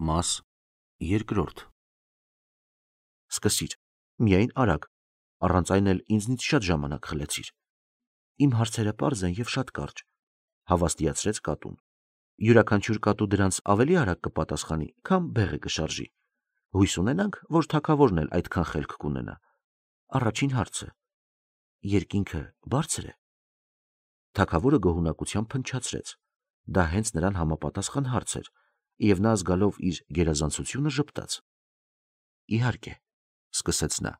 Մաս երկրորդ։ Սկսիր, միայն արագ, առանց այն էլ ինձնից շատ ժամանակ խլեցիր։ Իմ հարցերը պարզ են և շատ կարճ, հավաստիացրեց կատուն։ Յուրաքանչյուր կատու դրանց ավելի արագ կպատասխանի, քան բեղը կշարժի։ Հույս ունենանք, որ թագավորն էլ այդքան խելք կունենա։ Առաջին հարցը. երկինքը բարձր է։ Թագավորը գոհունակությամբ փնչացրեց։ Դա հենց նրան համապատասխան հարց էր, և նա զգալով իր գերազանցությունը ժպտաց։ Իհարկե, սկսեց նա,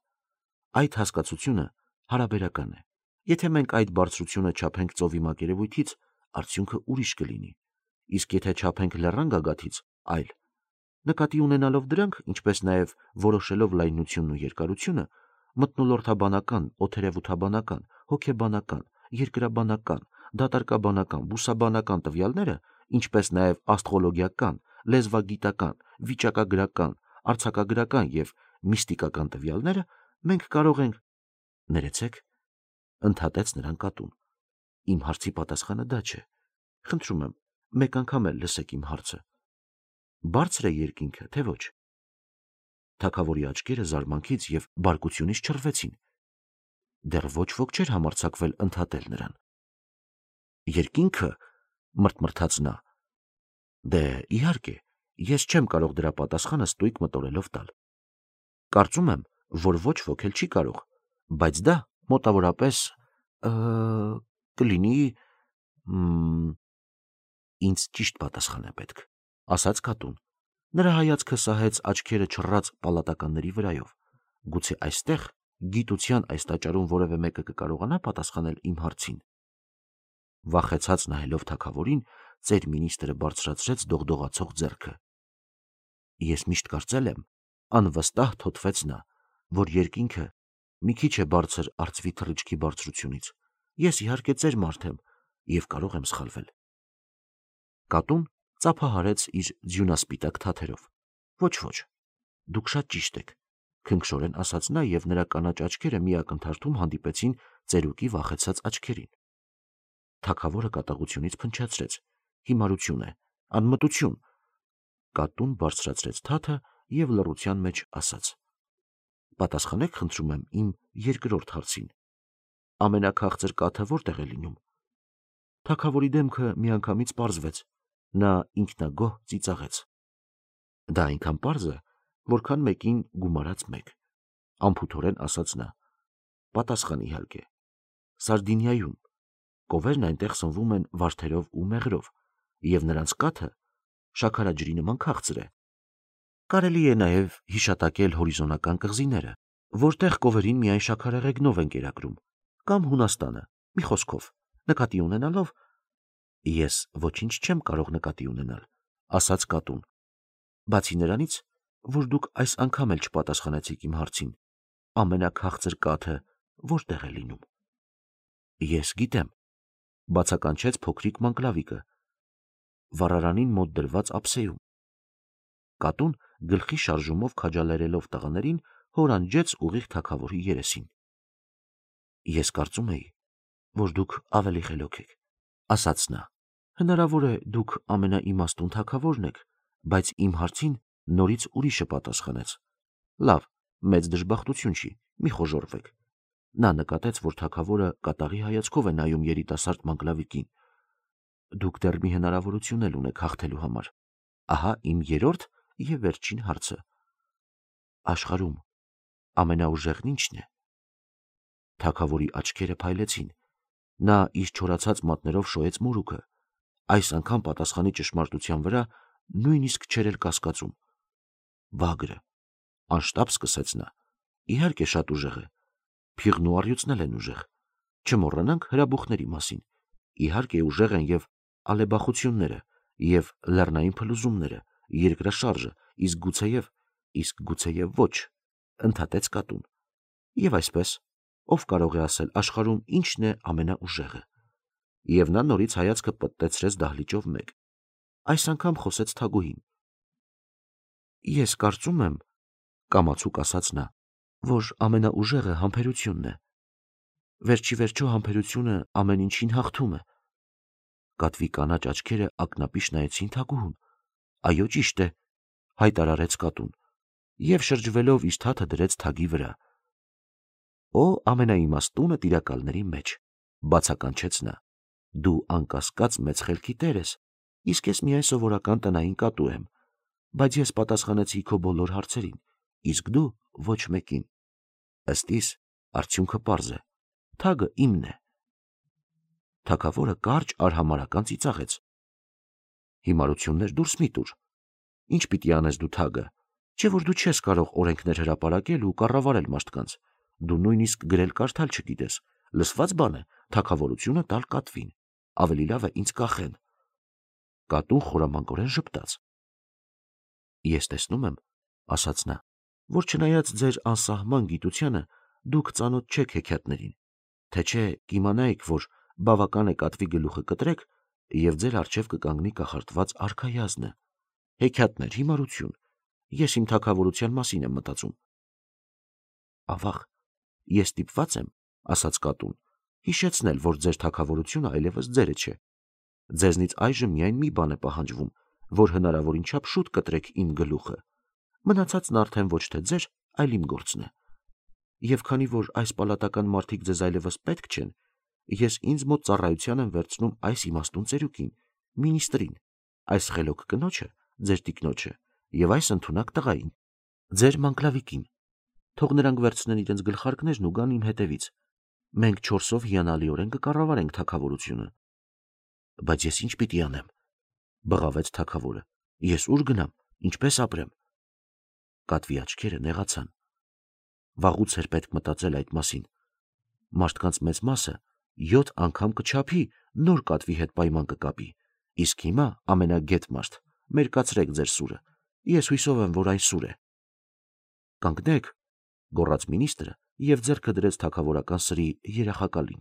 այդ հասկացությունը հարաբերական է։ Եթե մենք այդ բարձրությունը չափենք ծովի մակերևույթից, արդյունքը ուրիշ կլինի, իսկ եթե չափենք լեռան գագաթից, այլ։ Նկատի ունենալով դրանք, ինչպես նաև որոշելով լայնությունն ու երկարությունը, մթնոլորտաբանական, օդերևութաբանական, հոգեբանական, երկրաբանական, դատարկաբանական, բուսաբանական տվյալները, ինչպես նաև աստրոլոգիական, լեզվագիտական, վիճակագրական, արձակագրական և միստիկական տվյալները, մենք կարող ենք… Ներեցեք, ընդհատեց նրան կատուն։ Իմ հարցի պատասխանը դա չէ։ Խնդրում եմ, մեկ անգամ էլ լսեք իմ հարցը։ Բարձր է երկինքը, թե ոչ։ Թագավորի աչքերը զարմանքից և բարկությունից չռվեցին։ Դեռ ոչ ոք չէր համարձակվել ընդհատել նրան։ Երկինքը, մռթմռթաց նա, դե իհարկե, ես չեմ կարող դրա պատասխանը ստույգ մտորելով տալ։ Կարծում եմ, որ ոչ ոք էլ չի կարող, բայց դա մոտավորապես կլինի… Ինձ ճիշտ պատասխան է պետք, ասաց կատուն։ Նրա հայացքը սահեց աչքերը չռած պալատականների վրայով։ Գուցե այստեղ, գիտության այս տաճարում որևէ մեկը կկարողանա պատասխանել իմ հարցին։ Վախեցած նայելով թագավորին, ծեր մինիստրը բարձրացրեց դողդողացող ձեռքը։ Ես միշտ կարծել եմ, անվստահ թոթվեց նա, որ երկինքը մի քիչ է բարձր արծվի թռիչքի բարձրությունից։ Ես իհարկե ծեր մարդ եմ և կարող եմ սխալվել։ Կատուն ծափահարեց իր ձյունասպիտակ թաթերով։ Ոչ, դուք շատ ճիշտ եք, քնքշորեն ասաց նա, և նրա կանաչ աչքերը մի ակնթարթում հանդիպեցին ծերուկի վախեցած աչքերին։ Թագավորը կատաղությունից փնչացրեց։ Հիմարություն է, անմտություն։ Կատուն բարձրացրեց թաթը և լռության մեջ ասաց. Պատասխանեք, խնդրում եմ, իմ երկրորդ հարցին։ Ամենաքաղցր կաթը որտեղ է լինում։ Թագավորի դեմքը միանգամից պարզվեց։ Նա ինքնագոհ ծիծաղեց։ Դա այնքան պարզ է, որքան մեկին գումարած մեկ, անփութորեն ասաց նա։ Պատասխան իհարկե։ Սարդինիայում։ Կովերն այնտեղ սնվում են վարդերով ու մեղրով, և նրանց կաթը շաքարաջրի նման քաղցր է։ Կարելի է նաև հիշատակել հորիզոնական կղզիները, որտեղ կովերին միայն շաքարեղեգնով են կերակրում, կամ Հունաստանը, մի խոսքով, նկատի ունենալով… Ես ոչինչ չեմ կարող նկատի ունենալ, ասաց կատուն։ Բացի նրանից, որ դուք այս անգամ էլ չպատասխանեցիք իմ հարցին, ամենաքաղցր կաթը որտեղ է լինում։ Ես գիտեմ, բացականչեց փոքրիկ մանկլավիկը, վառարանին մոտ դրված ափսեում։ Կատուն գլխի շարժումով քաջալերելով տղաներին, հորանջեց ուղիղ թագավորի երեսին։ Ես կարծում էի, որ դուք ավելի խելոք եք, ասաց նա։ Հնարավոր է դուք ամենաիմաստուն թագավորն եք, բայց իմ հարցին նորից ուրիշը պատասխանեց։ Լավ, մեծ դժբախտություն չի, մի խոժոռվեք։ Նա նկատեց, որ թագավորը կատաղի հայացքով է նայում երիտասարդ մանկլավիկին։ Դուք դեռ մի հնարավորություն էլ ունեք հաղթելու համար։ Ահա իմ երրորդ և վերջին հարցը։ Աշխարհում ամենաուժեղն ի՞նչն է։ Թագավորի աչքերը փայլեցին։ Նա իր չորացած մատներով շոյեց մորուքը։ Այս անգամ պատասխանի ճշմարտության վրա նույնիսկ չէր էլ կասկածում։ Վագրը, անշտապ սկսեց նա։ Իհարկե շատ ուժեղ է։ Փիղն ու առյուծն էլ են ուժեղ։ Չմոռանանք հրաբուխների մասին։ Իհարկե ուժեղ են և ալեբախությունները, և լեռնային փլուզումները, երկրաշարժը, իսկ գուցեև ոչ, ընդհատեց կատուն։ Եվ այսպես, ով կարող է ասել աշխարհում ինչն է ամենաուժեղը։ Եվ նա նորից հայացքը պտտեցրեց դահլիճով մեկ։ Այս անգամ խոսեց թագուհին։ Ես կարծում եմ, կամացուկ ասաց նա, որ ամենաուժեղը համբերությունն է։ Վերջիվերջո համբերությունը ամեն ինչին հաղթում է։ Կատվի կանաչ աչքերը ակնապիշ նայեցին թագուհուն։ Այո, ճիշտ է, հայտարարեց կատուն, և շրջվելով իր թաթը դրեց թագի վրա։ «Օ ամենաիմաստունը տիրակալների մեջ», բացականչեց նա, «դու անկասկած մեծ խելքի տեր ես, իսկ ես միայն սովորական տնային կատու եմ, բայց ես պատասխանեցի քո բոլոր հարցերին, իսկ դու ոչ մեկին։ Ըստ իս, արդյունքը պարզ է, թագը իմն է»։ Թագավորը կարճ արհամարհական ծիծաղեց։ «Հիմարություններ դուրս մի տուր, ինչ պիտի անես դու թագը, չէ որ դու չես կարող օրենքներ հրապարակել ու կառավարել մարդկանց, դու նույնիսկ գրել-կարդալ չգիտես, լսված բան է թագավորությունը տալ կատվին, ավելի լավ է ինձ կախեն»։ Կատուն խորամանկորեն ժպտաց։ «Ես տեսնում եմ, ասաց նա, որ չնայած ձեր անսահման գիտությանը, դուք ծանոթ չեք հեքիաթներին, թե չէ կիմանայիք, որ բավական է կատվի գլուխը կտրեք, և ձեր առջև կկանգնի կախարդված արքայազնը։ Հեքիաթներ, հիմարություն, ես իմ թագավորության մասին եմ մտածում»։ «Ավաղ, ես ստիպված եմ, ասաց կատուն, հիշեցնել, որ ձեր թագավորությունը այլևս ձերը չէ։ Ձեզնից այժմ միայն մի բան է պահանջվում, որ հնարավորին չափ շուտ կտրեք իմ գլուխը, մնացածն արդեն ոչ թե ձեր, այլ իմ գործն է։ Եվ քանի որ այս պալատական մարդիկ ձեզ այլևս պետք չեն, ես ինձ մոտ ծառայության եմ վերցնում այս իմաստուն ծերուկին, մինիստրին, այս խելոք կնոջը, ձեր տիկնոջը, և այս ընդունակ տղային, ձեր մանկլավիկին։ Թող նրանք վերցնեն իրենց գլխարկներն ու գան իմ հետևից։ Մենք 4-ով հիանալիորեն կկառավարենք թագավորությունը։ «Բայց ես ինչ պիտի անեմ», բղավեց թագավորը։ «Ես ուր գնամ, ինչպես ապրեմ»։ Կատվի աչքերը նեղացան։ Վաղուց էր պետք մտածել այդ մասին։ Մարդկանց մեծ մասը 7 անգամ կչափի, նոր կատվի հետ պայման կկապի, իսկ հիմա ամենագետ մարդ, մերկացրեք ձեր սուրը, ես հույսով եմ, որ այն սուր է։ «Կանգնեք», գոռաց մինիստրը և ձեռքը դրեց թագավորական սրի երախակալին։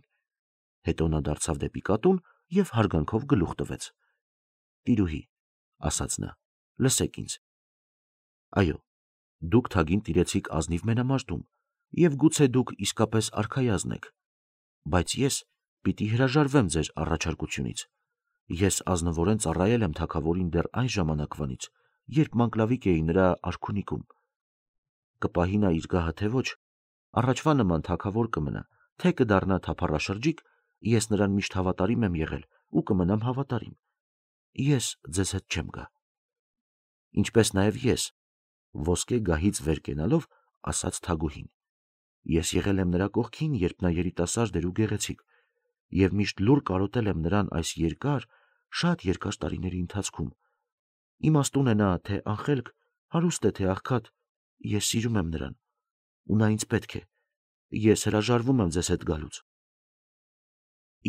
Հետո նա դարձավ դեպի կատուն և հարգանքով գլուխ տվեց։ «Տիրուհի», ասաց նա, «լսեք ինձ։ Այո, դուք թագին տիրեցիք ազնիվ մենամարտում, և գուցե դուք իսկապես արքայազն եք, բայց ես պիտի հրաժարվեմ ձեր առաջարկությունից։ Ես ազնվորեն ծառայել եմ թագավորին դեռ այն ժամանակվանից, երբ մանկլավիկ էի նրա արքունիքում։ Կպահի նա իր գահը թե ոչ, առաջվա նման թագավոր կմնա, թե կդառնա թափառաշրջիկ, ես նրան միշտ հավատարիմ եմ եղել ու կմնամ հավատարիմ։ Ես ձեզ հետ չեմ գա։ Ինչպես նաև ես, ոսկե գահից վեր կենալով, ասաց թագուհին, ես եղել եմ նրա կողքին, երբ նա երիտասարդ էր ու գեղեցիկ, և միշտ լուռ կարոտել եմ նրան այս երկար, շատ երկար տարիների ընթացքում։ Իմաստուն է նա, թե անխելք, հարուստ է, թե աղքատ, ես սիրում եմ նրան, ու նա ինձ պետք է, ես հրաժարվում եմ ձեզ հետ գալուց։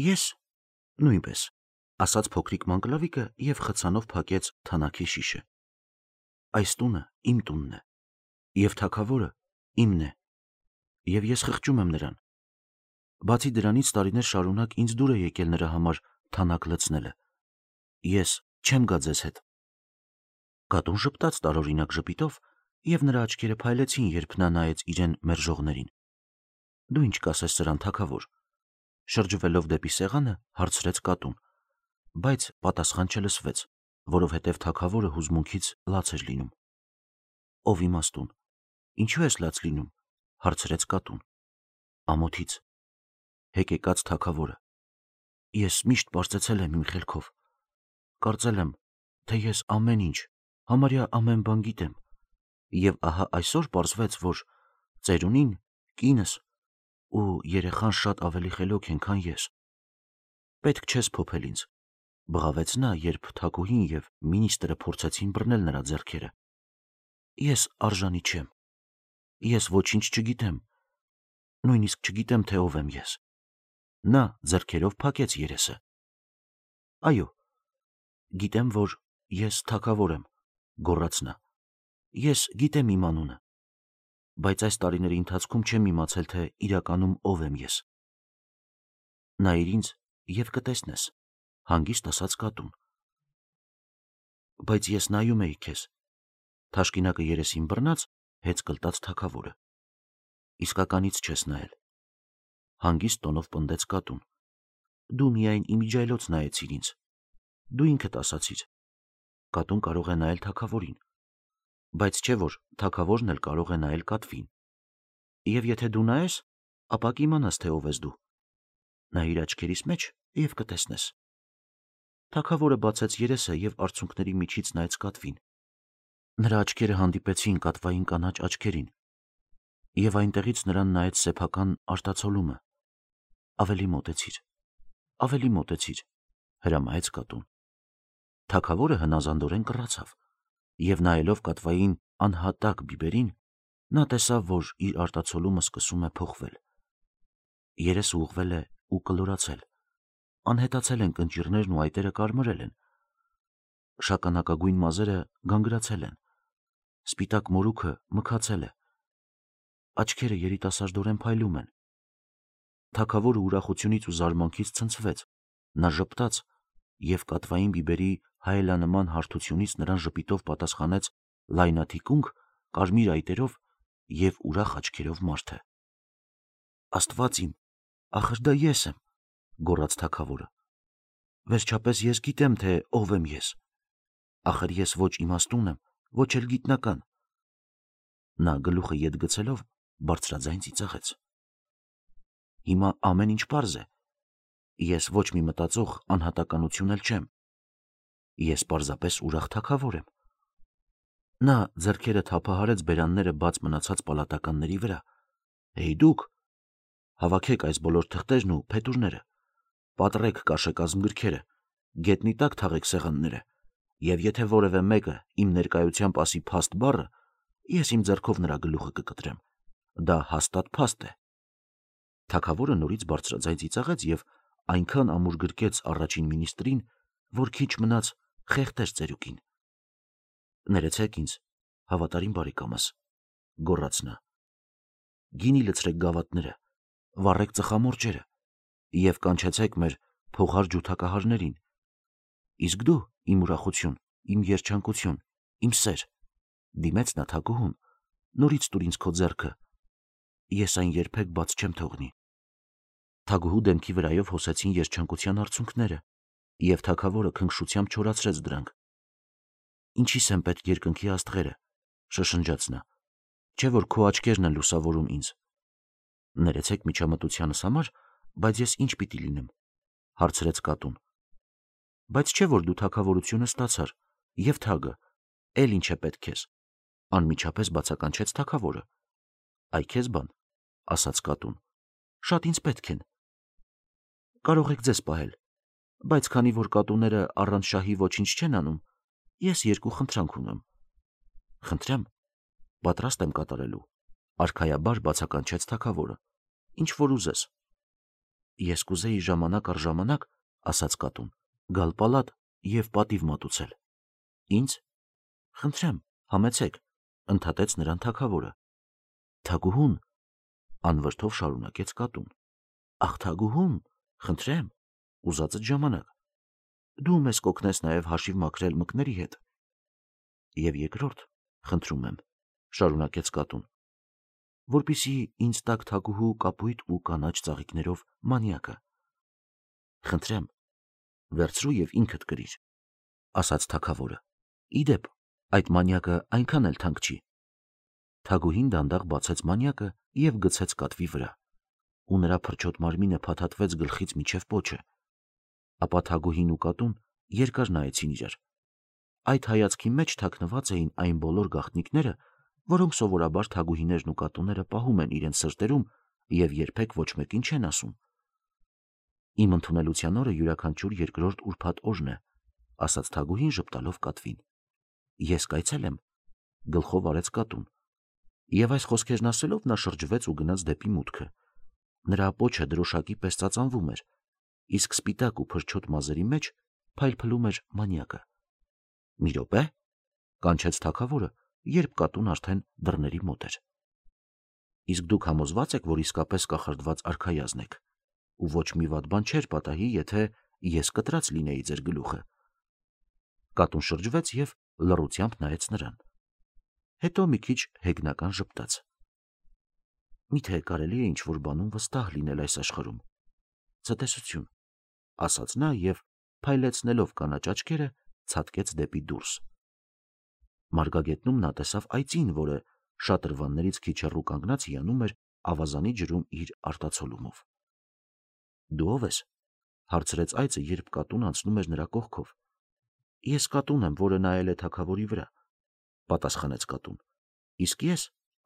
Ես նույնպես, ասաց փոքրիկ մանկլավիկը և խցանով փակեց թանաքի շիշը։ Այս տունը իմ տունն է, և թագավորը իմն է, և ես խղճում եմ նրան։ Բացի դրանից տարիներ շարունակ ինձ դուր է եկել նրա համար թանաք լցնելը։ Ես չեմ գա ձեզ հետ։ Կատուն ժպտաց տարօրինակ ժպիտով, և նրա աչքերը փայլեցին, երբ նա նայեց իրեն մերժողներին։ Դու ինչ կասես սրան, թագավոր, շրջվելով դեպի սեղանը, հարցրեց կատուն, բայց պատասխան չլսվեց, որովհետև թագավորը հուզմունքից լաց էր լինում։ Ով իմաստուն, ինչու ես լաց լինում, հարցրեց կատուն։ Ամոթից, հեկեկաց թագավորը, ես միշտ պարծեցել եմ իմ խելքով, կարծել եմ, թե ես ամեն ինչ, համարյա ամեն բան գիտեմ, և ահա այսօր պարզվեց, որ ծերունին, կինս ու երեխան շատ ավելի խելոք են, քան ես։ Պետք չես փոփել ինձ, բղավեց նա, երբ թագուհին և մինիստրը փորձեցին բռնել նրա ձեռքերը։ Ես արժանի չեմ, ես ոչինչ չգիտեմ, նույնիսկ չգիտեմ, թե ով եմ ես։ Նա ձեռքերով փակեց երեսը։ Այո, գիտեմ, որ ես թագավոր եմ, գոռաց նա։ Ես գիտեմ իմ անունը, բայց այս տարիների ընթացքում չեմ իմացել, թե իրականում ով եմ ես։ Նայիր ինձ և կտեսնես, հանգիստ ասաց կատուն։ Բայց ես նայում էի քեզ, թաշկինակը երեսին բռնած, հեծ կլտաց թագավորը։ Իսկականից չես նայել, հանգիստ տոնով պնդեց կատուն։ Դու միայն իմիջիայլոց նայեցիր ինձ։ Դու ինքդ ասացիր, կատուն կարող է նայել թագավորին։ Բայց չէ որ թագավորն էլ կարող է նայել կատվին։ Եվ եթե դու նայես, ապա կիմանաս, թե ով ես դու։ Նա իր աչքերիս մեջ եւ կտեսնես։ Թագավորը բացեց երեսը եւ արցունքների միջից նայեց կատվին։ Նրա աչքերը հանդիպեցին կատվային կանաչ աչքերին, եւ այնտեղից նրան նայեց սեփական արտացոլումը։ Ավելի մոտեցիր, հրամայեց կատուն։ Թագավորը հնազանդորեն կռացավ, եւ նայելով կատվային անհատակ բիբերին, նա տեսավ, որ իր արտացոլումը սկսում է փոխվել։ Երեսը ուղղվել է ու կլորացել, անհետացել են կնճիռներն ու այտերը կարմրել են, շագանակագույն մազերը գանգրացել են, սպիտակ մորուքը մքացել է, աչքերը երիտասարդորեն փայլում են։ Թագավորը ուրախությունից ու զարմանքից ցնցվեց, նա ժպտաց եւ կատվային բիբերի հայելանման հարթությունից նրան ժպիտով պատասխանեց լայնաթիկունք, կարմիր այտերով եւ ուրախ աչքերով մարդը։ Աստված իմ, ախր դա ես եմ, գոռաց թագավորը։ Վերջապես ես գիտեմ, թե ով եմ ես։ Ախր ես ոչ իմաստուն եմ, ոչ էլ գիտնական։ Նա գլուխը ետ գցելով բարձրաձայն ծիծաղեց։ Հիմա ամեն ինչ պարզ է։ Ես ոչ մի մտածող անհատականություն էլ չեմ։ Ես պարզապես ուրախ թագավոր եմ։ Նա ձեռքերը թափահարեց բերանները բաց մնացած պալատականների վրա։ Հեյ դուք, հավաքեք այս բոլոր թղթերն ու փետուրները, պատռեք կաշեկազմ գրքերը, գետնի տակ թաղեք սեղանները, եւ եթե որևէ մեկը իմ ներկայությամբ ասի փաստ բառը, ես իմ ձեռքով նրա գլուխը կկտրեմ։ Դա հաստատ փաստ է։ Թագավորը նորից բարձրաձայն ծիծաղեց եւ այնքան ամուր գրկեց առաջին մինիստրին, որ քիչ մնաց խեղդեր ծերուկին։ Ներեցեք ինձ, հավատարիմ բարեկամս, գոռաց նա։ Գինի լցրեք գավաթները, վառեք ծխամորճերը եւ կանչեցեք մեր փողար ջութակահարներին։ Իսկ դու, իմ ուրախություն, իմ երջանկություն, իմ սեր, դիմեց նա թագուհուն, նորից տուր ինձ քո ձեռքը, ես այն երբեք բաց չեմ թողնի։ Թագուհու դեմքի վրայով հոսեցին երջանկության արցունքները, եւ թագավորը քնքշությամբ չորացրեց դրանք։ Ինչի՞ս են պետք երկնքի աստղերը, շշնջաց նա, չէ որ քո աչքերն են լուսավորում ինձ։ Ներեցեք միջամտությանս համար, բայց ես ինչ պիտի լինեմ, հարցրեց կատուն։ Բայց չէ որ դու թագավորությունը ստացար, եւ թագը, էլ ինչ է պետք քեզ, անմիջապես բացականչեց թագավորը։ Այ քեզ բան, ասաց կատուն, շատ ինձ պետք են։ Կարող եք ձեզ պահել, բայց քանի որ կատուները առանց շահի ոչինչ չեն անում, ես երկու խնդրանք ունեմ։ Խնդրեմ, պատրաստ եմ կատարելու, արքայաբար բացականչեց թագավորը։ Ինչ որ ուզես։ Ես կուզեի ժամանակ առ ժամանակ, ասաց կատուն, գալ պալատ եւ պատիվ մատուցել։ Ինձ։ Խնդրեմ, համեցեք, ընդհատեց նրան թագավորը։ Թագուհուն, անվրդով շարունակեց կատուն։ Ախ թագուհուն, խնդրեմ, ուզածդ ժամանակ։ Դու մեզ կօգնես նաև հաշիվ մաքրել մկների հետ։ Եվ երկրորդ, խնդրում եմ, շարունակեց կատուն, որպիսի ինձ տակ թագուհու կապույտ ու կանաչ ծաղիկներով մանյակը։ Խնդրեմ, վերցրու եւ ինքդ կրիր, ասաց թագավորը։ Իդեպ, այդ մանյակը այնքան էլ թանկ չի։ Թագուհին դանդաղ բացեց մանյակը եւ գցեց կատվի վրա, ու նրա փրչոտ մարմինը փաթաթվեց գլխից մինչև պոչը։ Ապա թագուհին ու կատուն երկար նայեցին իրար։ Այդ հայացքի մեջ թաքնված էին այն բոլոր գաղտնիքները, որոնք սովորաբար թագուհիներն ու կատուները պահում են իրենց սրտերում եւ երբեք ոչ մեկին չեն ասում։ Իմ ընդունելության օրը յուրաքանչյուր երկրորդ ուրբաթ օրն է, ասաց թագուհին ժպտալով կատվին։ Ես կայցելեմ, գլխով արեց կատուն։ Եվ այս խոսքերն ասելով նա շրջվեց ու գնաց դեպի մուտքը։ Նրա պոչը դրոշակի պես ծածանվում էր, իսկ սպիտակ ու փրչոտ մազերի մեջ փայլփլում էր մանյակը։ Մի րոպե, կանչեց թագավորը, երբ կատուն արդեն դռների մոտ էր։ Իսկ դուք համոզված եք, որ իսկապես կախարդված արքայազն եք, ու ոչ մի վատ բան չէր պատահի, եթե ես կտրած լինեի ձեր գլուխը։ Կատուն շրջվեց եւ լռությամբ նայեց նրան։ Հետո մի քիչ հեգնական ժպտաց։ Միթե կարելի է ինչ-որ բանում վստահ լինել այս աշխարհում։ Ցտեսություն, ասաց նա եւ փայլեցնելով կանաչ աչքերը, ցատկեց դեպի դուրս։ Մարգագետնում նա տեսավ այծին, որը շատրվաններից քիչ հեռու կանգնած հիանում էր ավազանի ջրում իր արտացոլումով։ Դու ով ես, հարցրեց այծը, երբ կատուն անցնում էր նրա կողքով։ Ես կատուն եմ, որը նայել է թագավորի վրա, պատասխանեց կատուն։ Իսկ ես,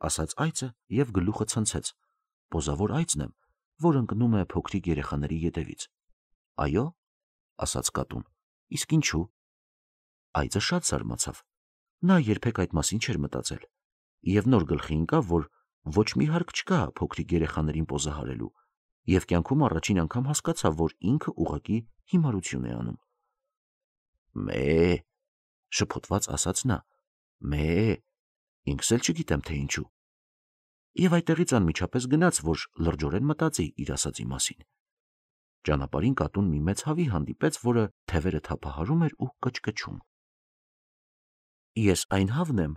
ասաց այծը եւ գլուխը ցնցեց, պոզավոր այծն եմ, որ ընկնում է փոքրիկ երեխաների ետևից։ Այո, ասաց կատուն, իսկ ինչու։ Այծը շատ զարմացավ։ Նա երբեք այդ մասին չէր մտածել, եւ նոր գլխի ընկավ, որ ոչ մի հարկ չկա փոքրիկ երեխաներին պոզահարելու, եւ կյանքում առաջին անգամ հասկացավ, որ ինքը ուղղակի հիմարություն է անում։ Մե, շփոթված ասաց նա, մե, ինքս էլ չգիտեմ թե ինչու։ Եվ այդտեղից անմիջապես գնաց, որ լրջորեն մտածի իր ասածի մասին։ Ճանապարհին կատուն մի մեծ հավի հանդիպեց, որը թևերը թափահարում էր ու կչկչում։ Ես այն հավն եմ,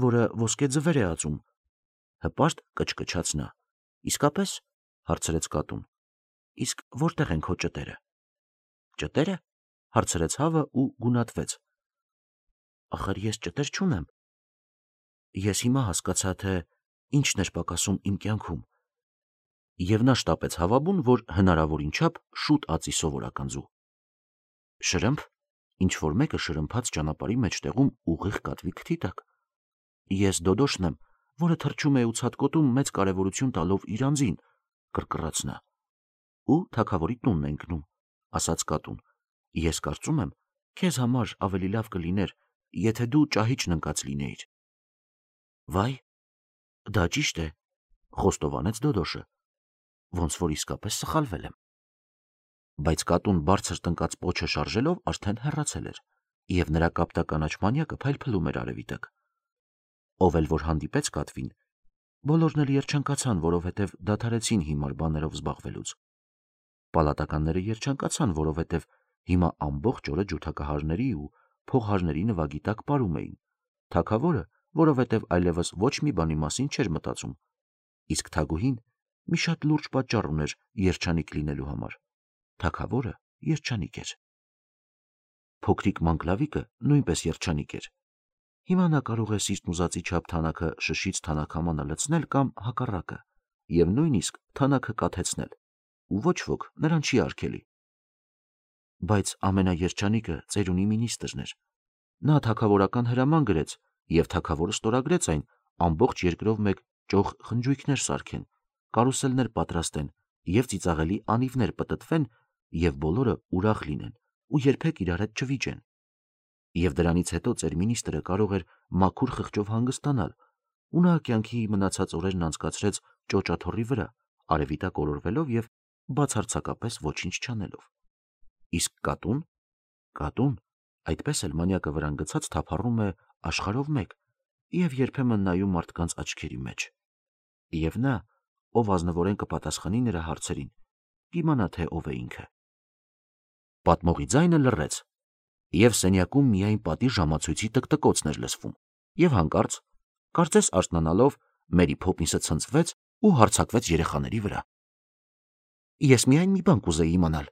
որը ոսկե ձվեր է ածում, հպարտ կչկչաց նա։ Իսկապես, հարցրեց կատուն, իսկ որտեղ են քո ճտերը։ Ճտերը, հարցրեց հավը ու գունատվեց։ Ախր ես ճտեր չունեմ։ Ես հիմա հասկացա, թե ինչն էր պակասում իմ կյանքում։ Եվ նա շտապեց հավաբուն, որ հնարավորին չափ շուտ ածի սովորական ձու։ Շրմփ, ինչ որ մեկը շրմփաց ճանապարհի մեջտեղում ուղիղ կատվի քթի տակ։ Ես դոդոշն եմ, որը թռչում է ու ցատկոտում մեծ կարևորություն տալով իր անձին, կռկռաց նա։ Ու թագավորի տունն է ընկնում, ասաց կատուն։ Ես կարծում եմ, քեզ համար ավելի լավ կլիներ, եթե դու ճահիճն ընկած լինեիր։ Վայ, դա ճիշտ է, խոստովանեց դոդոշը, ոնց որ իսկապես սխալվել եմ։ Բայց կատուն բարձր տնկած պոչը շարժելով արդեն հեռացել էր, եւ նրա կապտականաչ մանյակը փայլփլում էր արևի տակ։ Ով էլ որ հանդիպեց կատվին, բոլորն էլ երջանկացան, որովհետև դադարեցին հիմար բաներով զբաղվելուց։ Պալատականները երջանկացան, որովհետև հիմա ամբողջ օրը ջութակահարների ու փողահարների նվագի տակ պարում էին։ Թագավորը, որովհետև այլևս ոչ մի բանի մասին չէր մտածում, իսկ թագուհին մի շատ լուրջ պատճառ ուներ երջանիկ լինելու համար։ Թագավորը երջանիկ էր։ Փոքրիկ մանկլավիկը նույնպես երջանիկ էր։ Հիմա նա կարող է սիրտն ուզածի չափ թանաքը շշից թանաքամանը լցնել կամ հակառակը, եւ նույնիսկ թանաքը կաթեցնել, ու ոչ ոք նրան չի արգելի։ Բայց ամենաերջանիկը ծերունի մինիստրն էր։ Նա թագավորական հրաման գրեց, եւ թագավորը ստորագրեց այն ամբողջ երկրով մեկ ճոխ խնջույքներ սարքեն, կարուսելներ պատրաստեն եւ ծիծաղելի անիվներ պտտվեն եւ բոլորը ուրախ լինեն ու երբեք իրար հետ չվիճեն։ Եվ դրանից հետո ծեր մինիստրը կարող էր մաքուր խղճով հանգստանալ, ու նա կյանքի մնացած օրերն անցկացրեց ճոճաթոռի վրա, արևի տակ օրորվելով եւ բացարձակապես ոչինչ չանելով։ Իսկ կատուն, այդպես էլ մանյակը վրան գցած թափառում է աշխարհով մեկ եւ երբեմն նայում մարդկանց աչքերի մեջ։ Եվ նա, ով ազնվորեն կպատասխանի նրա հարցերին, կիմանա թե ով է ինքը։ Պատմողի ձայնը լռեց, եւ սենյակում միայն պատի ժամացույցի տկտկոցն էր լսվում, եւ հանկարծ, կարծես արթնանալով, Մերի Փոփինսը ցնցվեց ու հարձակվեց երեխաների վրա։ Ես միայն մի բան կուզեի իմանալ,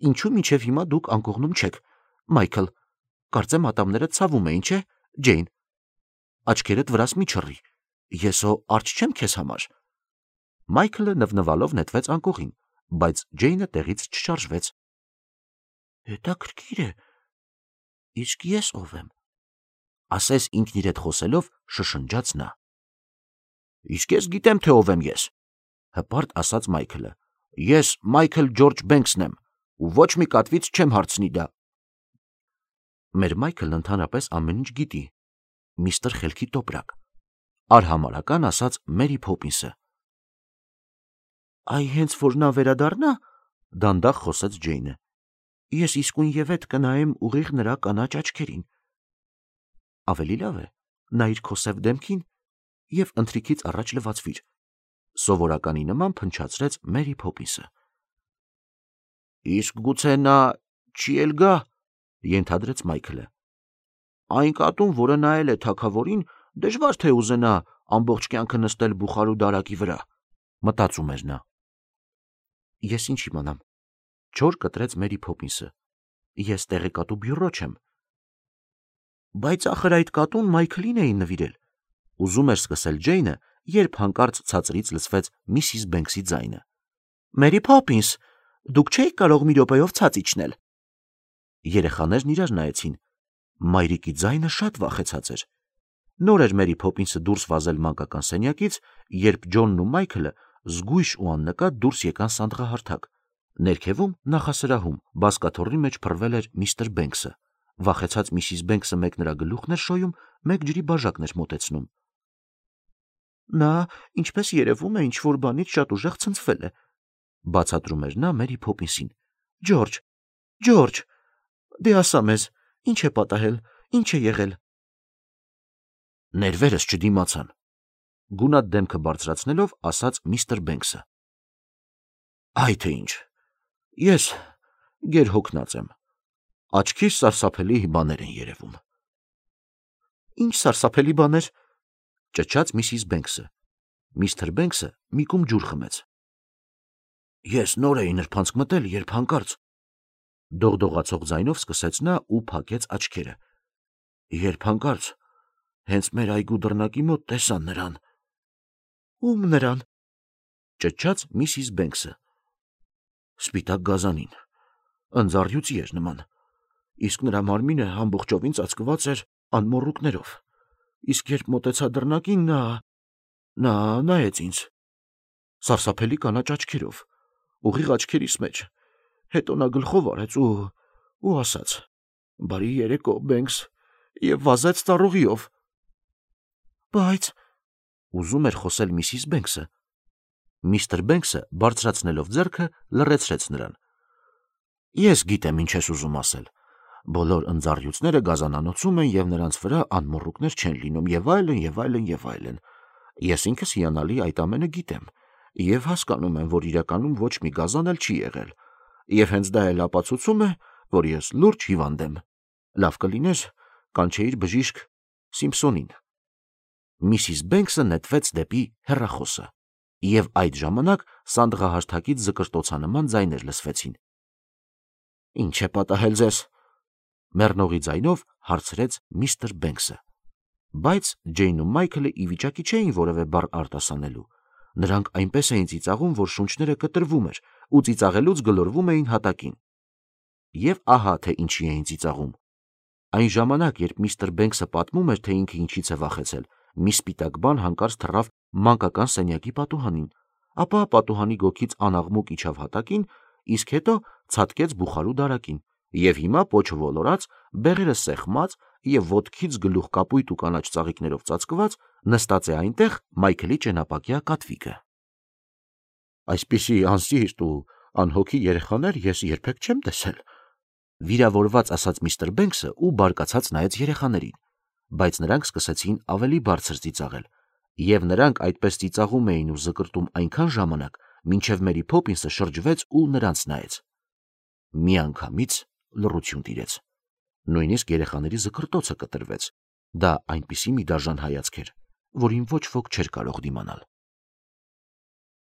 ինչու մինչև հիմա դուք անկողնում չեք, Մայքլ, կարծեմ ատամները ցավում էին, չէ, Ջեյն։ Աչքերդ վրաս մի չռի, ես հո արջ չեմ քեզ համար։ Մայքլը նվնվալով նետվեց անկողին, բայց Ջեյնը տեղից չշարժվեց։ Հետաքրքիր է, իսկ ես ով եմ, ասես ինքն իր հետ խոսելով շշնջաց նա։ Իսկ ես գիտեմ, թե ով եմ ես, հպարտ ասաց Մայքլը։ Ես Մայքլ Ջորջ Բենքսն եմ, ու ոչ մի կատվից չեմ հարցնի դա։ Մեր Մայքլն ընդհանրապես ամեն ինչ գիտի, միստր Խելքի տոպրակ, արհամարհական ասաց Մերի Փոփինսը։ Այ հենց որ նա վերադառնա, դանդաղ խոսեց Ջեյնը, ես իսկույն ետ կնայեմ ուղիղ նրա կանաչ աչքերին։ Ավելի լավ է, նայիր քո սև դեմքին եւ ընթրիքից առաջ լվացվիր, սովորականի նման փնչացրեց Մերի Փոփինսը։ Իսկ գուցե նա չի էլ գա, ենթադրեց Մայքլը։ Այն կատուն, որը նայել է թագավորին, դժվար թե ուզենա ամբողջ կյանքը նստել բուխարու դարակի վրա, մտածում էր նա։ Ես ինչ իմանամ, չոր կտրեց Մերի Փոփինսը։ Ես տեղեկատու բյուրո չեմ։ Բայց ախր այդ կատուն Մայքլին էին նվիրել։ Ուզում էր սկսել Ջեյնը, երբ հանկարծ ցածրից լսվեց Միսիս Բենքսի ձայնը. Մերի Փոփինս, դուք չէիք կարող մի րոպեով ցած իջնել։ Երեխաներն իրար նայեցին։ Մայրիկի ձայնը շատ վախեցած էր։ Նոր էր Մերի Փոփինսը դուրս վազել մանկական սենյակից, երբ Ջոնն ու Մայքլը զգույշ ու աննկատ դուրս եկան սանդղահարթակ։ Ներքևում նախասրահում բազկաթոռի մեջ փռվել էր միստր Բենքսը։ Վախեցած Միսիս Բենքսը մեկ նրա գլուխն էր շոյում, մեկ ջրի բաժակն էր մոտեցնում։ Նա, ինչպես երևում է, ինչ-որ բանից շատ ուժեղ ցնցվել է, բացատրում էր նա Մերի Փոփինսին։ Ջորջ, դե ասա մեզ, ինչ է պատահել, ինչ է եղել։ Ներվերս չդիմացան, գունատ դեմքը բարձրացնելով ասաց միստր Բենքսը։ Այ թե ինչ, ես գերհոգնած եմ, աչքիս սարսափելի բաներ են երևում։ Ինչ սարսափելի բաներ, ճչաց Միսիս Բենքսը։ Միստր Բենքսը մի կում ջուր խմեց։ Ես նոր էի նրբանցք մտել, երբ հանկարծ դողդողացող ձայնով սկսեց նա ու փակեց աչքերը։ Երբ հանկարծ հենց մեր այգու դռնակի մոտ տեսա նրան։ Ում նրան, ճչաց Միսիս Բենքսը։ Սպիտակ գազանին, ընձառյուծի էր նման, իսկ նրա մարմինը ամբողջովին ծածկված էր անմոռուկներով, իսկ երբ մոտեցա դռնակին, նա նայեց ինձ, սարսափելի կանաչ աչքերով, ուղիղ աչքերիս մեջ, հետո նա գլխով արեց ու ասաց. Բարի երեկո, Բենքս, եւ վազեց ծառուղիով։ Բայց ուզում էր խոսել Միսիս Բենքսը։ Միստր Բենքսը բարձրացնելով ձեռքը լռեցրեց նրան։ Ես գիտեմ ինչ ես ուզում ասել։ Բոլոր ընձառյուծները գազանանոցում են եւ նրանց վրա անմոռուկներ չեն լինում եւ այլն եւ այլն եւ այլն։ Ես ինքս հիանալի այդ ամենը գիտեմ եւ հասկանում եմ, որ իրականում ոչ մի գազան էլ չի եղել։ Եվ հենց դա էլ ապացուցում է, որ ես լուրջ հիվանդ եմ։ Լավ կլիներ կանչեիր բժիշկ Սիմփսոնին։ Միսիս Բենքսը նետվեց դեպի հեռախոսը, եւ այդ ժամանակ սանդղահարթակից զկրտոցանման ձայներ լսվեցին։ Ինչ է պատահել ձեզ, մեռնողի ձայնով հարցրեց միստր Բենքսը։ Բայց Ջեյնն ու Մայքլը ի վիճակի չէին որևէ բառ արտասանելու։ Նրանք այնպես էին ծիծաղում, որ շունչները կտրվում էր ու ծիծաղելուց գլորվում էին հատակին։ Եվ ահա թե ինչի էին ծիծաղում։ Այն ժամանակ, երբ միստր Բենքսը պատմում էր, թե ինքը ինչից է վախեցել, մի սպիտակ բան հանկարծ թռավ մանկական սենյակի պատուհանին, ապա պատուհանի գոգից անաղմուկ իջավ հատակին, իսկ հետո ցատկեց բուխարու դարակին, եւ հիմա պոչ ոլորած, բեղերը սեղմած եւ ոտքից գլուխ կապույտ ու կանաչ ծաղիկներով ծածկված նստած է այնտեղ Մայքլի ճենապակյա կատվիկը։ Այսպիսի անսիրտ ու անհոգի երեխաներ ես երբեք չեմ տեսել, վիրավորված ասաց միստր Բենքսը ու բարկացած նայեց երեխաներին, բայց նրանք սկսեցին ավելի բարձր ծիծաղել, եւ նրանք այդպես ծիծաղում էին ու զկրտում այնքան ժամանակ, մինչև Մերի Փոփինսը շրջվեց ու նրանց նայեց։ Միանգամից լռություն տիրեց։ Նույնիսկ երեխաների զկրտոցը կտրվեց։ Դա այնպիսի մի դաժան հայացք էր, որին ոչ ոք չէր կարող դիմանալ։